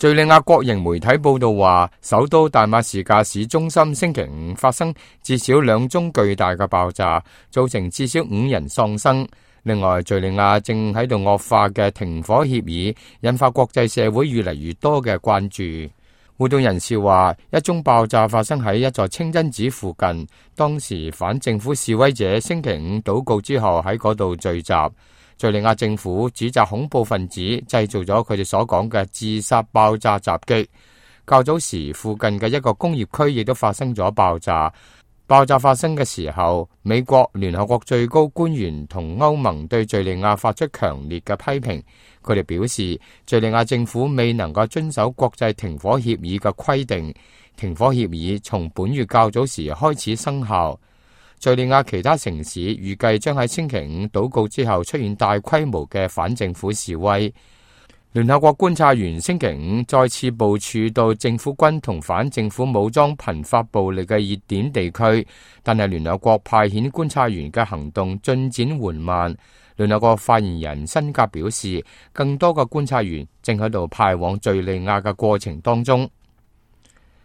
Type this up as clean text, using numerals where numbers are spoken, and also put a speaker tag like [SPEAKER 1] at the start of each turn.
[SPEAKER 1] 敘利亞國營媒體報道話，首都大馬士革市中心星期五發生至少2宗巨大嘅爆炸，造成至少5人喪生。另外，敘利亞正喺度惡化嘅停火協議，引發國際社會越嚟越多嘅關注。活動人士話，一宗爆炸發生喺一座清真寺附近，當時反政府示威者星期五禱告之後喺嗰度聚集。敘利亞政府指責恐怖分子製造咗佢哋所講嘅自殺爆炸襲擊。較早時，附近嘅一個工業區亦都發生咗爆炸。爆炸發生嘅時候，美國、聯合國最高官員同歐盟對敘利亞發出強烈嘅批評。佢哋表示，敘利亞政府未能夠遵守國際停火協議嘅規定。停火協議從本月較早時開始生效。敘利亞其他城市預計將喺星期五禱告之後出現大規模嘅反政府示威。聯合國觀察員星期五再次部署到政府軍同反政府武裝頻發暴力嘅熱點地區，但係聯合國派遣觀察員嘅行動進展緩慢。聯合國發言人辛格表示，更多嘅觀察員正喺度派往敘利亞嘅過程當中。